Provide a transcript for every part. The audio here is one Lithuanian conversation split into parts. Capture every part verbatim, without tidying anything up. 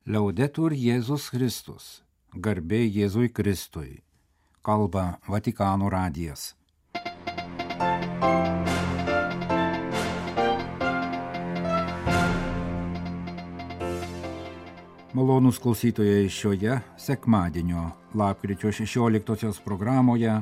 Laudetur Jėzus Kristus, garbė Jėzui Kristui, kalba Vatikano radijas. Malonūs klausytojai, šioje sekmadienio lapkričio šešioliktosios programoje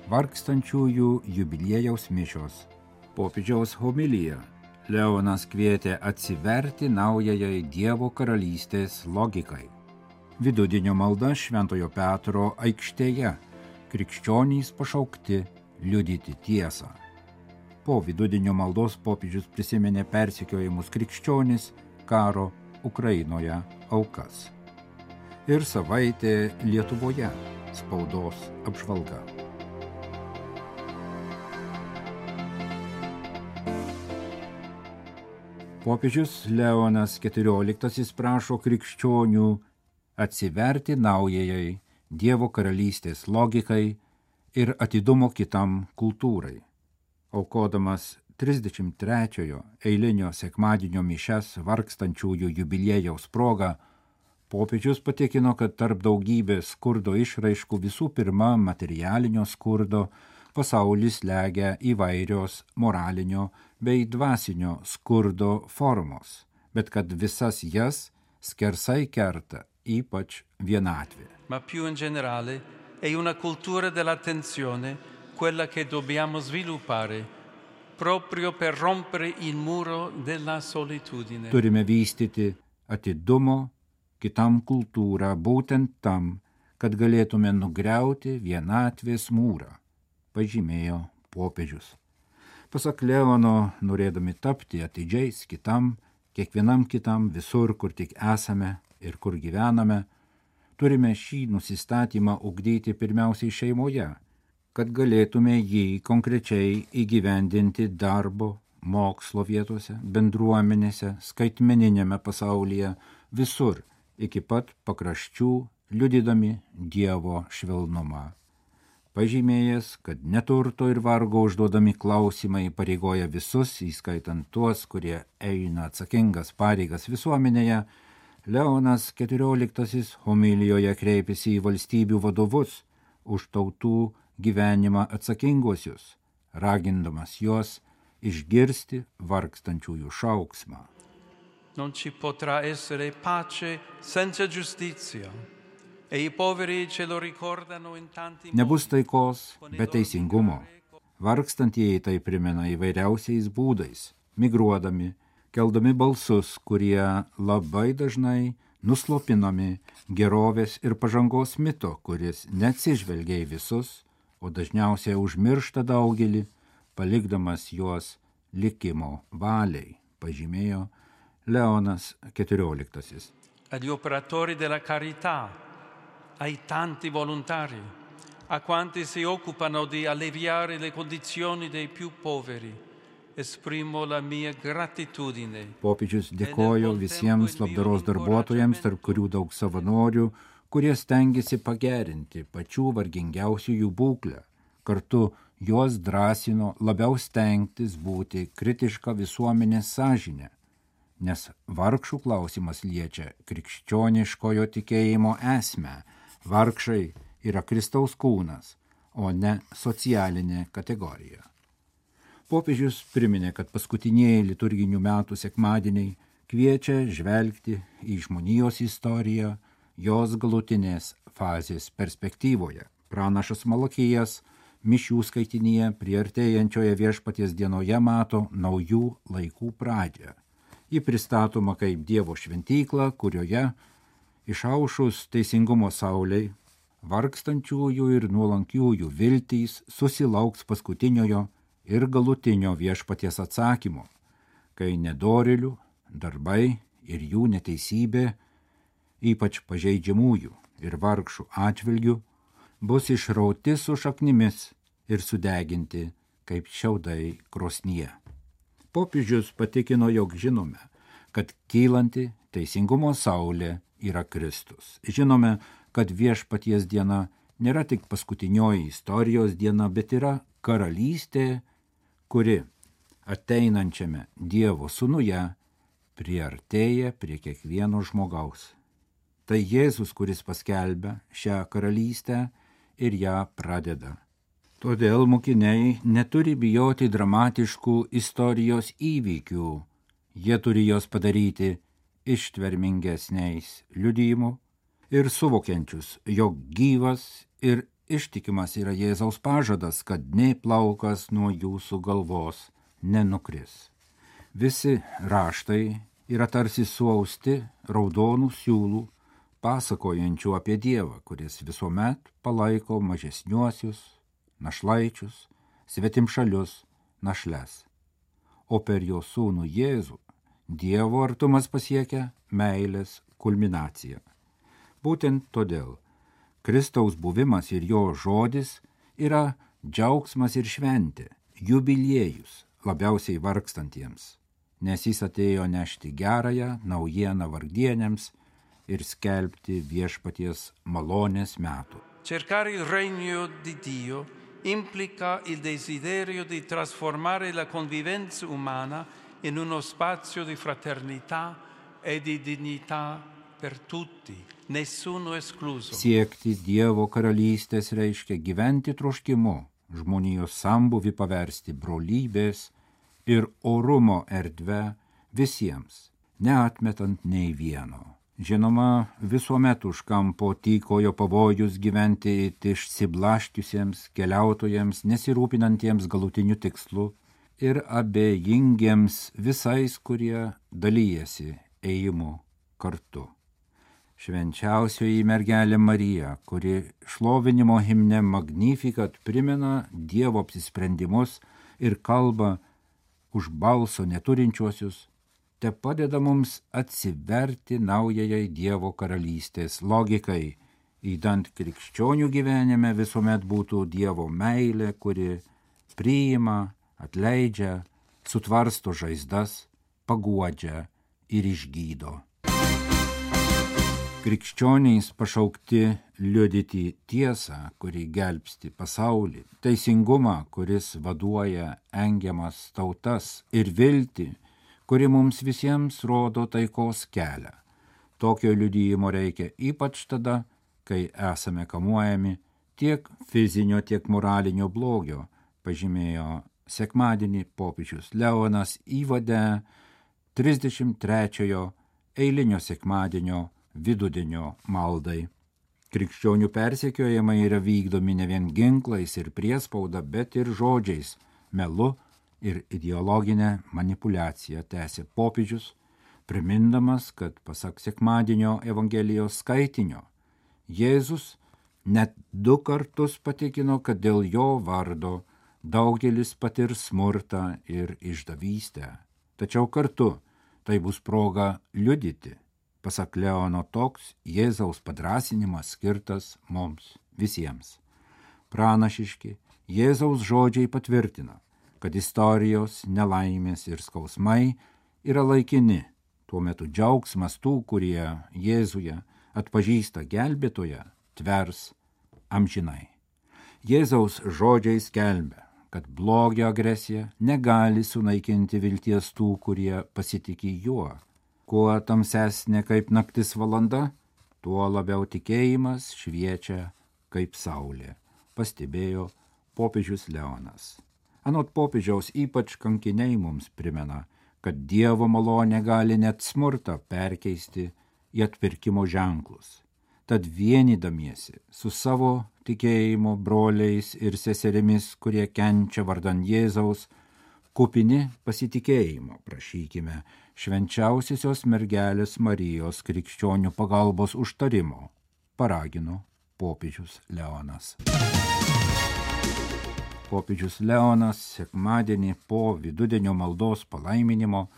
vargstančiųjų jubiliejaus mišios. Popiežiaus homilija. Leonas kvietė atsiverti naujajai Dievo karalystės logikai. Vidudienio malda Šventojo Petro aikštėje. Krikščionys pašaukti liudyti tiesą. Po vidudienio maldos popiežius prisiminė persekiojimus krikščionis, karo Ukrainoje aukas. Ir savaitė Lietuvoje spaudos apžvalga. Popiežius Leonas keturioliktasis prašo krikščionių atsiverti naujajai Dievo karalystės logikai ir atidumo kitam kultūrai. Aukodamas trisdešimt trečiojo eilinio sekmadienio mišias vargstančiųjų jubiliejaus proga, popiežius patikino, kad tarp daugybės skurdo išraiškų visų pirma materialinio skurdo pasaulis slegia įvairios moralinio bei dvasinio skurdo formos, bet kad visas jas skersai kerta ypač vienatvė. Ma più in generale è una cultura dell'attenzione quella che dobbiamo sviluppare proprio per rompere il muro della solitudine. Turime vystyti atidumo kitam kultūrą būtent tam, kad galėtume nugriauti vienatvės mūrą, pažymėjo popiežius. Pasak Leono, norėdami tapti atidžiais kitam, kiekvienam kitam visur, kur tik esame ir kur gyvename, turime šį nusistatymą ugdyti pirmiausiai šeimoje, kad galėtume jį konkrečiai įgyvendinti darbo, mokslo vietose, bendruomenėse, skaitmeninėme pasaulyje, visur, iki pat pakraščių, liudydami Dievo švelnumą. Pažymėjęs, kad neturto ir vargo užduodami klausimai pareigoja visus, įskaitant tuos, kurie eina atsakingas pareigas visuomenėje, Leonas keturioliktasis homilijoje kreipėsi į valstybių vadovus už tautų gyvenimą atsakinguosius, ragindamas juos išgirsti vargstančiųjų šauksmą. Non ci potrà essere pace senza giustizia. E i poveri ce lo ricordano in tanti modi. Nebus taikos be teisingumo. Vargstantieji tai primena įvairiausiais būdais, migruodami, keldami balsus, kurie labai dažnai nuslopinami gerovės ir pažangos mito, kuris neatsižvelgia į visus, o dažniausiai užmiršta daugelį, palikdamas juos likimo valiai, pažymėjo Leonas keturioliktasis. Agli operatori della carità, ai tanti volontari, a quanti si occupano di alleviare le condizioni dei più poveri, esprimo la mia gratitudine. Popiežius dėkojo visiems labdaros darbuotojams, tarp kurių daug savanorių, kurie stengiasi pagerinti pačių vargingiausiųjų būklę. Kartu juos drąsino labiau stengtis būti kritiška visuomenės sąžinė, nes vargšų klausimas liečia krikščioniškojo tikėjimo esmę. Vargšai yra Kristaus kūnas, o ne socialinė kategorija. Popiežius priminė, kad paskutinieji liturginių metų sekmadieniai kviečia žvelgti į žmonijos istoriją, jos galutinės fazės perspektyvoje. Pranašas Malachijas mišių skaitinyje priartėjančioje Viešpaties dienoje mato naujų laikų pradžią. Ji pristatoma kaip Dievo šventykla, kurioje išaušus teisingumo sauliai, vargstančiųjų ir nuolankiųjų viltys susilauks paskutiniojo ir galutinio Viešpaties atsakymo, kai nedorėlių darbai ir jų neteisybė, ypač pažeidžiamųjų ir vargšų atžvilgių, bus išrauti su šaknimis ir sudeginti kaip šiaudai krosnyje. Popiežius patikino, jog žinome, kad kylanti teisingumo saulė yra Kristus. Žinome, kad Viešpaties diena nėra tik paskutinioji istorijos diena, bet yra karalystė, kuri ateinančiame Dievo sūnuje priartėja prie kiekvieno žmogaus. Tai Jėzus, kuris paskelbia šią karalystę ir ją pradeda. Todėl mokiniai neturi bijoti dramatiškų istorijos įvykių, jie turi jos padaryti ištvermingesniais liudijimu ir suvokiančius, jog gyvas ir ištikimas yra Jėzaus pažadas, kad nė plaukas nuo jūsų galvos nenukris. Visi raštai yra tarsi suausti raudonų siūlų, pasakojančių apie Dievą, kuris visuomet palaiko mažesniuosius, našlaičius, svetimšalius, našles. O per jo sūnų Jėzų Dievo artumas pasiekia meilės kulminaciją. Būtent todėl Kristaus buvimas ir jo žodis yra džiaugsmas ir šventė, jubiliejus labiausiai vargstantiems, nes jis atėjo nešti gerąją naujieną vargdienėms ir skelbti viešpaties malonės metų. Cercare il regno di Dio implica il desiderio di trasformare la convivenza umana in uno spazio di fraternità e di dignità per tutti, nessuno escluso. Siekti Dievo karalystės reiškia gyventi troškimu, žmonijos sambuvį paversti brolybės ir orumo erdve visiems, neatmetant nei vieno. Žinoma, visuomet už kampo tykojo pavojus gyventi išsiblaškiusiems keliautojams, nesirūpinantiems galutiniu tikslu ir abejingiems visais, kurie dalyjasi ėjimu kartu. Švenčiausioji mergelė Marija, kuri šlovinimo himne Magnificat primena Dievo apsisprendimus ir kalba už balso neturinčiuosius, te padeda mums atsiverti naujajai Dievo karalystės logikai, įdant krikščionių gyvenime visuomet būtų Dievo meilė, kuri priima, atleidžia, sutvarsto žaizdas, paguodžia ir išgydo. Krikščioniais pašaukti liudyti tiesą, kuri gelbsti pasaulį, teisingumą, kuris vaduoja engiamas tautas ir viltį, kuri mums visiems rodo taikos kelią. Tokio liudijimo reikia ypač tada, kai esame kamuojami tiek fizinio, tiek moralinio blogio, pažymėjo sekmadienį popiežius Leonas įvade trisdešimt trečiojo eilinio sekmadienio vidudienio maldai. Krikščionių persekiojimai yra vykdomi ne vien ginklais ir priespauda, bet ir žodžiais, melu ir ideologinę manipuliaciją, tęsė popiežius, primindamas, kad pasak sekmadienio Evangelijos skaitinio, Jėzus net du kartus patikino, kad dėl jo vardo daugelis patirs smurtą ir išdavystę. Tačiau kartu tai bus proga liudyti. Pasak Leono, toks Jėzaus padrąsinimas skirtas mums visiems. Pranašiški Jėzaus žodžiai patvirtina, kad istorijos, nelaimės ir skausmai yra laikini. Tuo metu džiaugsmas tų, kurie Jėzuje atpažįsta gelbėtoją, tvers amžinai. Jėzaus žodžiai skelbia, kad blogio agresija negali sunaikinti vilties tų, kurie pasitiki juo. Kuo tamsesnė kaip naktis valanda, tuo labiau tikėjimas šviečia kaip saulė, pastebėjo popiežius Leonas. Anot popiežiaus ypač kankiniai mums primena, kad Dievo malonė gali net smurtą perkeisti į atpirkimo ženklus. Tad vienydamiesi su savo tikėjimo broliais ir seserimis, kurie kenčia vardan Jėzaus, kupini pasitikėjimo prašykime švenčiausiosios mergelės Marijos krikščionių pagalbos užtarimo, paragino popiežius Leonas. Popiežius Leonas sekmadienį po vidudienio maldos palaiminimo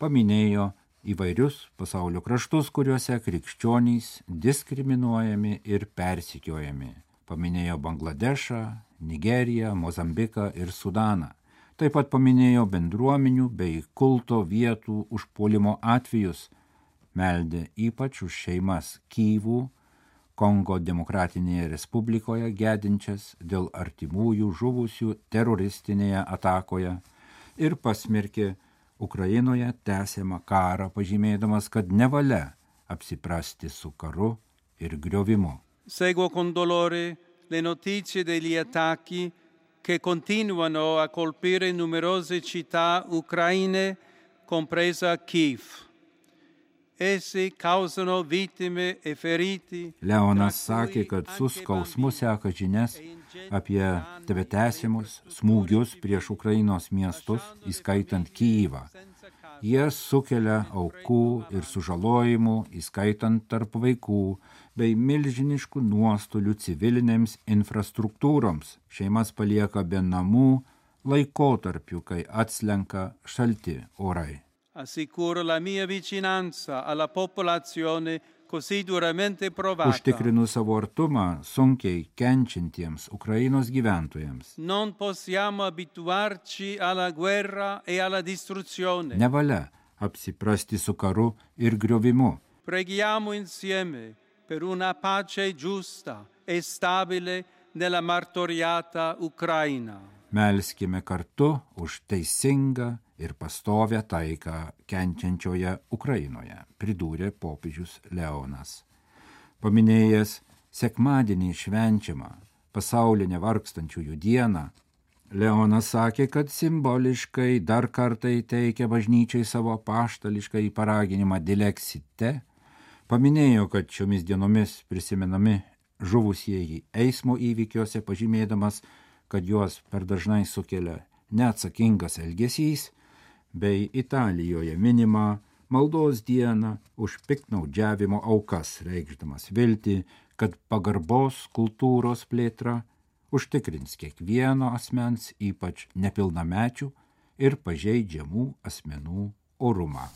paminėjo įvairius pasaulio kraštus, kuriuose krikščionys diskriminuojami ir persekiojami. Paminėjo Bangladešą, Nigeriją, Mozambiką ir Sudaną. Taip pat paminėjo bendruomenių bei kulto vietų užpuolimo atvejus, meldė ypač už šeimas Kyvų, Kongo Demokratinėje Respublikoje gedinčias dėl artimųjų žuvusių teroristinėje atakoje ir pasmerkė Ukrainoje tęsiama karą, pažymėdamas, kad nevalia apsiprasti su karu ir griovimu. Seguo con dolore le notizie degli attacchi che continuano a colpire numerose città ucraine, compresa Kyiv. Essi causano vittime e feriti. Leonas sakė, kad su skausmu seka žinias apie tebetęsiamus smūgius prieš Ukrainos miestus, įskaitant Kyjivą. Jie sukelia aukų ir sužalojimų, įskaitant tarp vaikų, bei milžiniškų nuostolių civilinėms infrastruktūroms. Šeimas palieka be namų laikotarpiu, kai atslenka šalti orai. Assicuro la mia vicinanza alla popolazione così duramente provata. Užtikrinu savo artumą sunkiai kenčiantiems Ukrainos gyventojams. Non possiamo abituarci alla guerra e alla distruzione. Nevalia apsiprasti su karu ir griovimu. Preghiamo insieme per una pace giusta e stabile nella martoriata Ucraina. Melskime kartu už teisingą ir pastovę taiką kenčiančioje Ukrainoje, pridūrė popiežius Leonas. Paminėjęs sekmadienį švenčiamą pasaulinę vargstančiųjų dieną, Leonas sakė, kad simboliškai dar kartą įteikia bažnyčiai savo apaštališką paraginimą Dilexite, paminėjo, kad šiomis dienomis prisimenami žuvusieji eismo įvykiuose, pažymėdamas, kad juos per dažnai sukelia neatsakingas elgesys, bei Italijoje minima maldos dieną už piktnaudžiavimo aukas, reikšdamas viltį, kad pagarbos kultūros plėtra užtikrins kiekvieno asmens, ypač nepilnamečių ir pažeidžiamų asmenų orumą.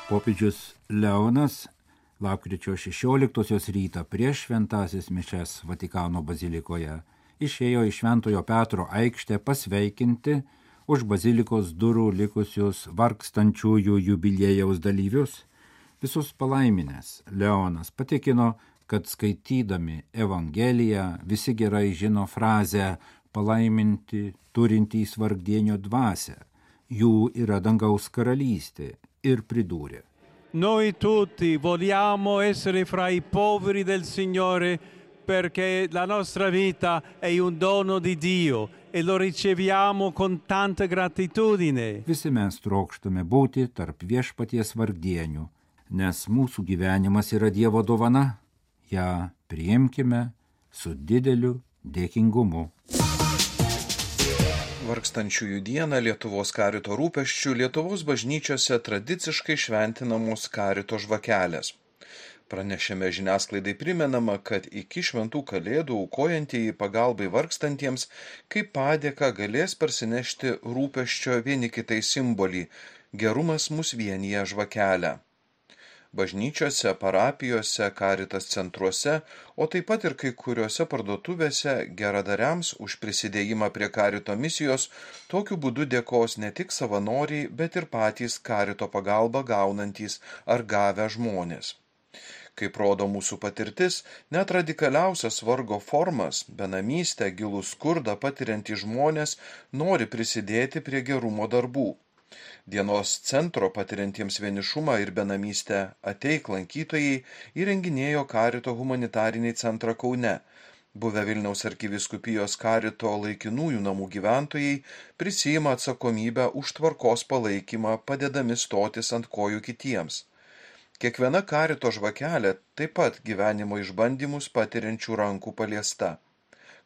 Popiežius Leonas lapkričio šešioliktosios rytą prieš šventąsias mišias Vatikano bazilikoje išėjo į Šventojo Petro aikštę pasveikinti už bazilikos durų likusius vargstančiųjų jubiliejaus dalyvius. Visus palaiminęs Leonas patikino, kad skaitydami Evangeliją visi gerai žino frazę palaiminti turintys vargdienio dvasią. Jų yra dangaus karalystė ir pridūrė. Noi tutti vogliamo essere fra i poveri del Signore perché la nostra vita è un dono di Dio e lo riceviamo con tanta gratitudine. Visi mes trokštame būti tarp viešpaties vargdienių, nes mūsų gyvenimas yra Dievo dovana, ją priimkime su dideliu dėkingumu. Vargstančiųjų dieną Lietuvos karito rūpesčių Lietuvos bažnyčiose tradiciškai šventinamos karito žvakelės. Pranešime žiniasklaidai primenama, kad iki šventų kalėdų aukojantieji pagalbai vargstantiems kaip padėką galės parsinešti rūpesčio vieni kitai simbolį – gerumas mus vienija žvakelę. Bažnyčiose, parapijose, karitas centruose, o taip pat ir kai kuriuose parduotuvėse geradariams už prisidėjimą prie karito misijos tokiu būdu dėkos ne tik savanoriai, bet ir patys karito pagalbą gaunantys ar gavę žmonės. Kaip rodo mūsų patirtis, net radikaliausias vargo formas, benamystę, gilų skurdą patiriantys žmonės nori prisidėti prie gerumo darbų. Dienos centro patiriantiems vienišumą ir benamystę Ateik lankytojai įrenginėjo karito humanitarinį centrą Kaune. Buvę Vilniaus arkivyskupijos karito laikinųjų namų gyventojai prisiima atsakomybę už tvarkos palaikymą, padedami stotis ant kojų kitiems. Kiekviena karito žvakelė taip pat gyvenimo išbandymus patiriančių rankų paliesta.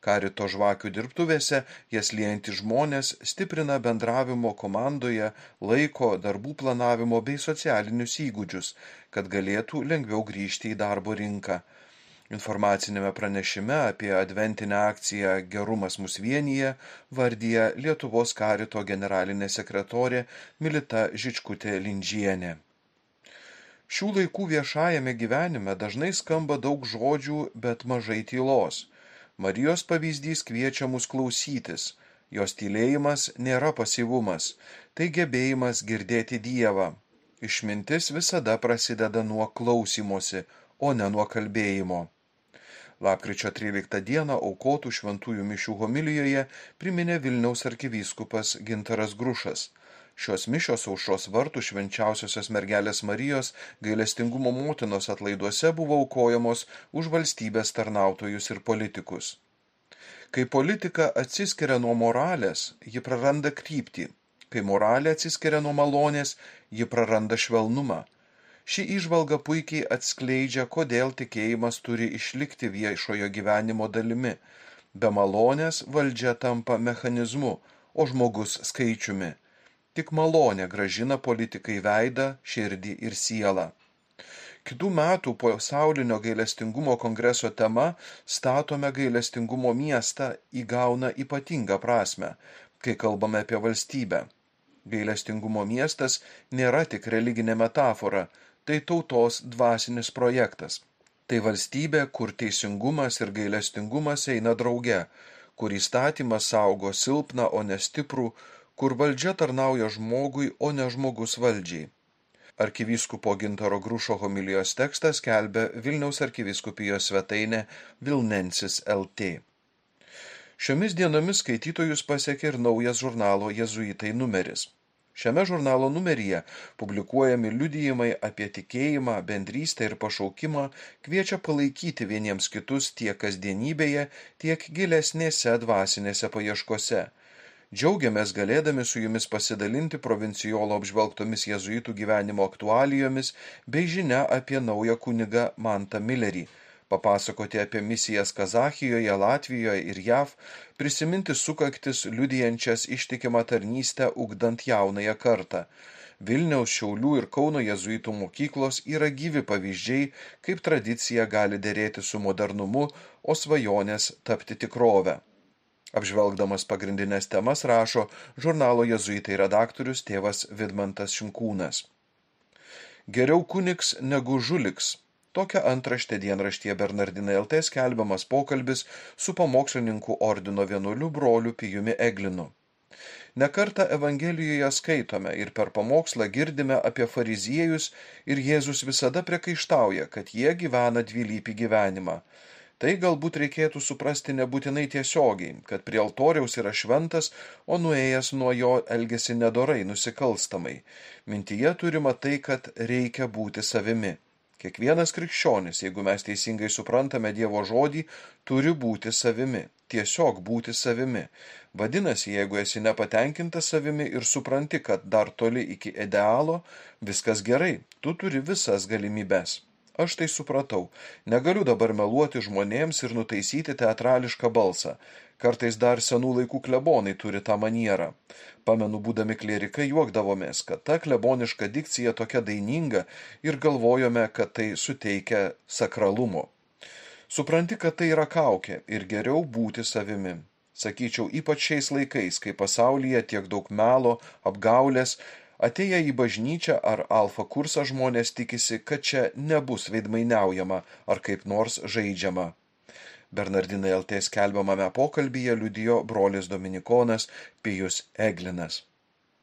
Karito žvakių dirbtuvėse jas liejantys žmonės stiprina bendravimo komandoje, laiko, darbų planavimo bei socialinius įgūdžius, kad galėtų lengviau grįžti į darbo rinką. Informacinėme pranešime apie adventinę akciją Gerumas mus vienija vardija Lietuvos karito generalinė sekretorė Milita Žičkutė-Lindžienė. Šių laikų viešajame gyvenime dažnai skamba daug žodžių, bet mažai tylos. Marijos pavyzdys kviečia mus klausytis. Jos tylėjimas nėra pasyvumas, tai gebėjimas girdėti Dievą. Išmintis visada prasideda nuo klausymosi, o ne nuo kalbėjimo. Lapkričio tryliktą dieną aukotų šventųjų mišių homilijoje priminė Vilniaus arkivyskupas Gintaras Grušas. Šios mišios aušros vartų švenčiausiosios mergelės Marijos gailestingumo motinos atlaiduose buvo aukojamos už valstybės tarnautojus ir politikus. Kai politika atsiskiria nuo moralės, ji praranda kryptį. Kai moralė atsiskiria nuo malonės, ji praranda švelnumą. Ši įžvalga puikiai atskleidžia, kodėl tikėjimas turi išlikti viešojo gyvenimo dalimi. Be malonės valdžia tampa mechanizmu, o žmogus skaičiumi. Tik malonė grąžina politikai veidą, širdį ir sielą. Kitų metų pasaulinio gailestingumo kongreso tema "Statome gailestingumo miestą" įgauna ypatingą prasmę, kai kalbame apie valstybę. Gailestingumo miestas nėra tik religinė metafora, tai tautos dvasinis projektas. Tai valstybė, kur teisingumas ir gailestingumas eina drauge, kur įstatymas saugo silpną, o ne stiprų, kur valdžia tarnauja žmogui, o ne žmogus valdžiai. Arkivyskupo Gintaro Grušo homilijos tekstas skelbia Vilniaus arkivyskupijos svetainė Vilnensis L T. Šiomis dienomis skaitytojus pasiekė ir naujas žurnalo Jėzuitai numeris. Šiame žurnalo numeryje publikuojami liudijimai apie tikėjimą, bendrystę ir pašaukimą, kviečia palaikyti vieniems kitus tiek kasdienybėje, tiek gilesnėse dvasinėse paieškose. Džiaugiamės galėdami su jumis pasidalinti provincijolo apžvelgtomis jėzuitų gyvenimo aktualijomis bei žinia apie naują kunigą Mantą Millerį, papasakoti apie misijas Kazachijoje, Latvijoje ir J A V, prisiminti sukaktis liudijančias ištikimą tarnystę ugdant jaunąją kartą. Vilniaus, Šiaulių ir Kauno jėzuitų mokyklos yra gyvi pavyzdžiai, kaip tradicija gali derėti su modernumu, o svajonės tapti tikrove. Apžvelgdamas pagrindinės temas rašo žurnalo Jėzuitai redaktorius tėvas Vidmantas Šinkūnas. Geriau kunigs negu žuliks. Tokia antraštė dienraštyje Bernardinai L T skelbiamas pokalbis su pamokslininkų ordino vienuoliu broliu Pijumi Eglinu. Nekartą Evangelijoje skaitome ir per pamokslą girdime apie fariziejus ir Jėzus visada priekaištauja, kad jie gyvena dvilypį gyvenimą. Tai galbūt reikėtų suprasti nebūtinai tiesiogiai, kad prie altoriaus yra šventas, o nuėjęs nuo jo elgesi nedorai, nusikalstamai. Mintyje turima tai, kad reikia būti savimi. Kiekvienas krikščionis, jeigu mes teisingai suprantame Dievo žodį, turi būti savimi, tiesiog būti savimi. Vadinasi, jeigu esi nepatenkintas savimi ir supranti, kad dar toli iki idealo, viskas gerai, tu turi visas galimybes. Aš tai supratau, negaliu dabar meluoti žmonėms ir nutaisyti teatrališką balsą. Kartais dar senų laikų klebonai turi tą manierą. Pamenu, būdami klierikai juokdavomės, kad ta kleboniška dikcija tokia daininga ir galvojome, kad tai suteikia sakralumo. Supranti, kad tai yra kaukė ir geriau būti savimi. Sakyčiau, ypač šiais laikais, kai pasaulyje tiek daug melo, apgaulės, atėję į bažnyčią ar alfa kursą žmonės tikisi, kad čia nebus veidmainiaujama ar kaip nors žaidžiama. Bernardinai L T skelbiamame pokalbyje liudijo brolis dominikonas Pijus Eglinas.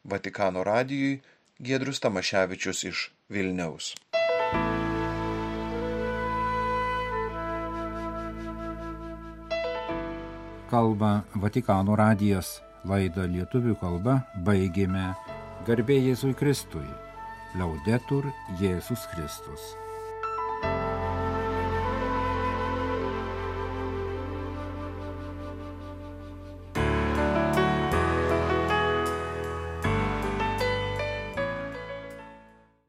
Vatikano radijui Giedrius Tamaševičius iš Vilniaus. Kalba Vatikano radijas. Laidą lietuvių kalba baigėme. Garbė Jėzui Kristui. Laudetur Jėzus Kristus.